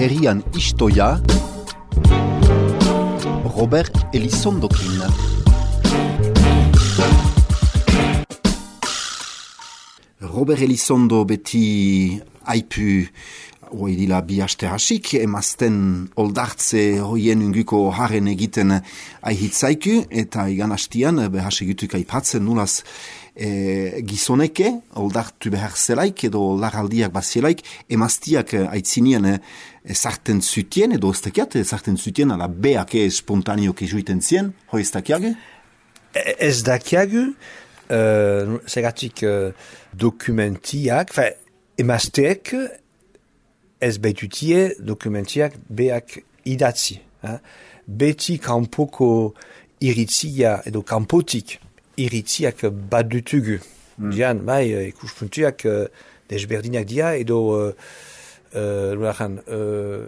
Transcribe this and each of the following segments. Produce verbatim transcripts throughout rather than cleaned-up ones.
herrian istoia Robert Elizondokin. Robert Elizondo beti aipu hoi dila bi aste hasik, emazten oldartze hoien unguko haren egiten aihitzaiku, eta igan hastian behas egituk aipatzen nulaz e, gizoneke, oldartu behar zelaik, edo laraldiak bazielaik, emaztiak aitzinien ezarten zutien, edo ez dakiat, ezarten zutien, ala beak espontaneoke juiten zien, hoi ez dakiagu? Ez dakiagu, uh, segatik uh, dokumentiak, fa, emazteek, ez baitutie dokumentiak beak idatzi. Eh? Beti kanpoko iritzia edo kanpotik iritziak badutugu. Mm. Dian, bai, ikuspuntuak uh, desberdinak dia edo uh, uh, uh,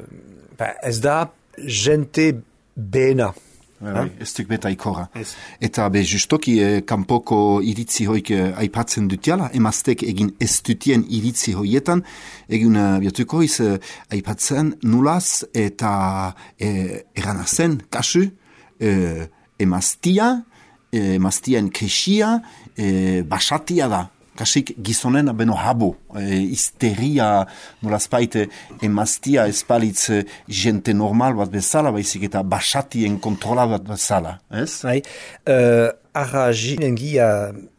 ba, ez da jente bena. Bai, ez duk beta ikora. Eta be justoki eh, kanpoko iritzi hoik eh, aipatzen dutiala, emaztek egin ez dutien iritzi hoietan, egin uh, biatuko iz eh, aipatzen nulaz eta eh, eranazen kasu eh, emaztia, eh, emaztien kesia, eh, basatia da. Kasik gizonen beno habo, e, histeria nolazpait emaztia espalitz jente normal bat bezala, baizik eta basatien kontrola bat bezala, ez? Bai, uh, arra jinen gia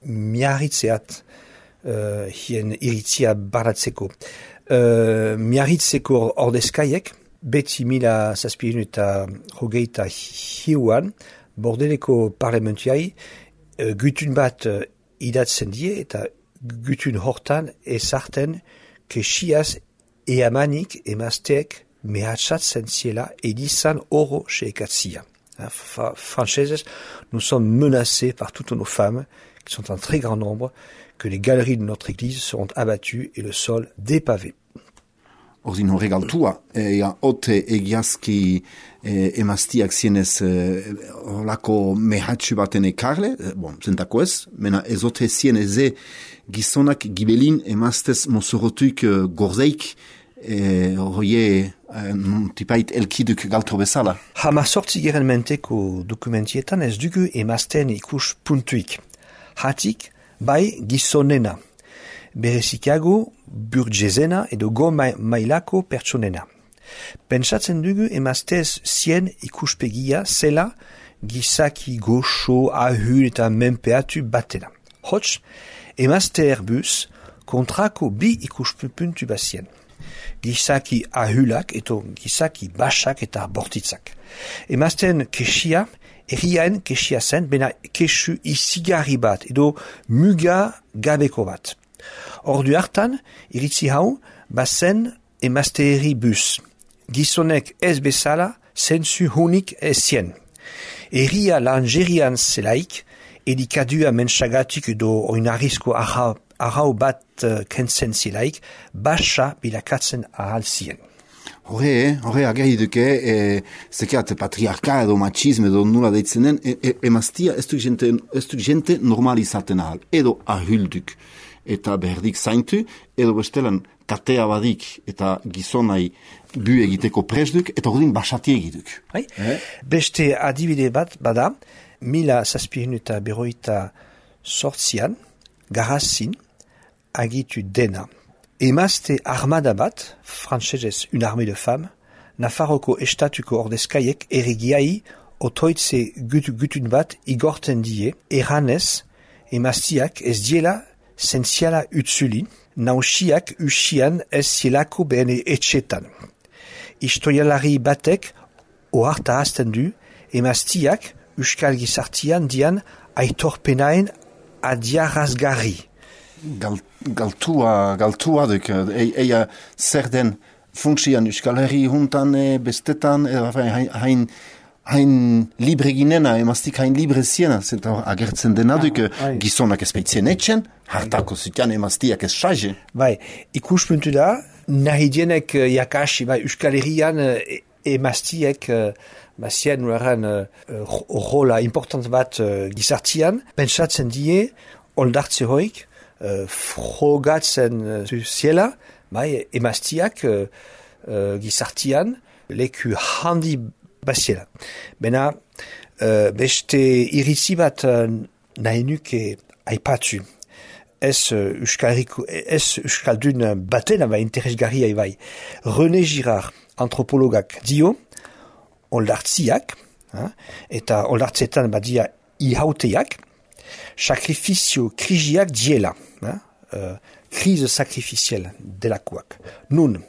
miarritzeat uh, hien iritzia baratzeko. Uh, miarritzeko ordezkaiek, beti mila zazpirun eta hogeita hiuan, bordeleko parlamentiai, uh, gutun bat uh, idatzen die eta gutun hortan ezarten kesiaz eamanik emazteek mehatxatzen ziela edizan oro sheekatzia. Françaises, nous sommes menacés par toutes nos femmes, qui sont en très grand nombre, que les galeries de notre église seront abattues et le sol dépavé. Ordin horrek altua, ea ote egiazki e, emaztiak zienez horlako e, mehatxu baten ekarle, e, bon, zentako ez, mena ezote zieneze gizonak gibelin emaztez mozorotuk e, gorzeik, e, hoie e, tipait elkiduk galtro bezala. Hama sortzi geren menteko dokumentietan ez dugu emazten ikus puntuik. Hatik, bai gizonena. Berezikago burgezena edo go mailako pertsonena. Pentsatzen dugu emaztez zien ikuspegia zela gizaki goxo, ahul eta menpeatu batena. Hots, emazte erbuz kontrako bi ikuspuntu bazien. Gizaki ahulak eto gizaki basak eta bortitzak. Emazten kesia, erriaen kesia zen, bena kesu izigarri bat edo muga gabeko bat. Ordu hartan, iritzi hau, bazen emazteeri bus. Gizonek ez bezala, zensu honik ez zien. Erria langerian zelaik, edikadua mentsagatik edo oinarrizko arrau bat uh, kentzen zelaik, basa bilakatzen ahal zien. Horre, horre agerri duke, e, zekeat patriarka edo machisme edo nula deitzenen, e, e, emaztia ez duk jente, ez duk jente normalizaten ahal, edo ahulduk. Eta berdik zaintu, edo bestelan katea badik eta gizonai bu egiteko presduk, eta ordin basati egituk. Eh? Beste adibide bat bada, mila zazpirun eta beroita sortzian, garazin, agitu dena. Emazte armada bat, frantsesez une armée de femmes, Nafarroko estatuko ordezkaiek erregiai otoitze gut, gutun bat igorten die, eranez, emaztiak ez diela sensiala utzuli, nausiak usian ez zielako bene etxetan. Historialari batek oharta hasten du, emaztiak euskal gizartian dian aitorpenaen adiarazgarri. Gal, galtua, galtua duk, eia zer den funksian euskal herri juntan e, bestetan, e, hain hain libre ginena, emaztik hain libre ziena, zenta agertzen dena duk, ah, gizonak ez baitzen etxen, hartako zutian emaztiak ez saje. Bai, ikuspuntu da, nahi dienek jakasi, bai, euskal herrian emaztiek bazien nueran rola important bat gizartian, pentsatzen die, oldartze hoik, frogatzen ziela, bai, emaztiak uh, gizartian leku handi baziela. Bena, uh, beste iritzi bat uh, nahi nuke aipatu. Ez uh, euskalriko, ez euskaldun batena bai interesgarria bai. René Girard, antropologak dio, oldartziak, ha? Eta oldartzetan badia ihauteak, sakrifizio kriziak diela, ha? Uh, krize sakrifisiel delakoak. Nun,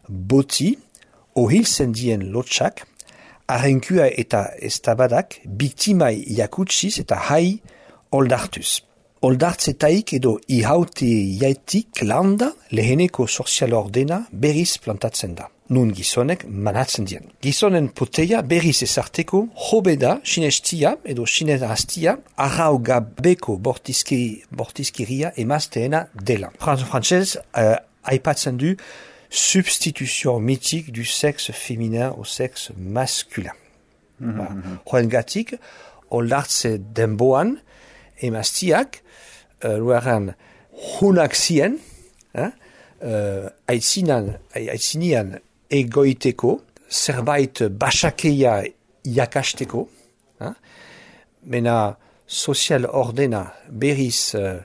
boti, ohiltzen dien lotxak, arrenkua eta estabadak, biktimai jakutsiz eta hai oldartuz. Oldartzetaik edo ihaute jaitik landa leheneko sozial ordena berriz plantatzen da. Nun gizonek manatzen dien. Gizonen poteia berriz ezarteko hobeda sinestia edo sinezastia arrau gabeko bortizki, bortizkiria emazteena dela. Frantzez uh, aipatzen du substitution mythique du sexe féminin au sexe masculin. Mm-hmm. Hoengatik, oldartze denboan emaztiak uh, luaran hunak zien, eh? uh, aitzinan, aitzinian egoiteko, zerbait basakeia jakasteko, eh? Mena sozial ordena berriz, uh,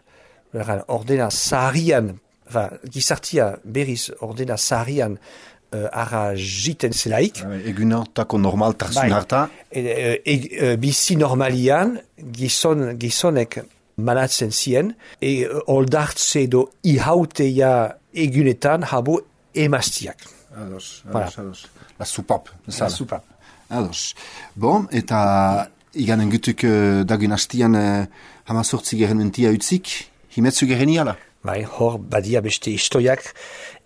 ordena zaharian, enfin, gizartia berriz ordena zaharian uh, ara jiten zelaik. Egun hartako normal tarzun harta. E, e, e, bizi normalian gizon, gizonek manatzen zien, e oldartze edo ihauteia egunetan habo emaztiak. Ados, ados, voilà. Ados. La supap. La supap. Ados. Bon, eta iganen gutuk uh, dagun hastian uh, hamazortzi geren mentia utzik, himetzu geren iala? Bai, hor badia beste istoiak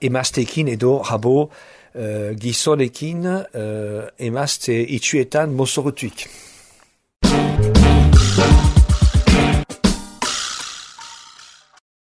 emazteekin edo habo uh, gizonekin uh, emazte itxuetan mozorotuik.